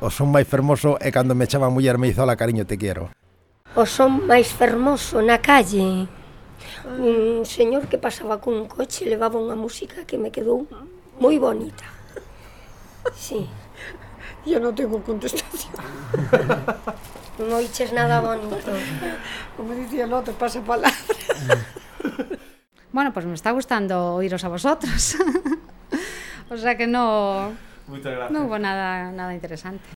O son máis fermoso é cando me chama a muller Meizola, cariño, te quiero. O son máis fermoso na calle. Un señor que pasaba cun coche levaba unha música que me quedou moi bonita. Sí. Yo no tengo contestación. Non oiches nada bonito. Como dicía el otro, pasa palabra. Bueno, pues me está gustando oíros a vosotros. O sea que no... Muchas gracias. No hubo nada interesante.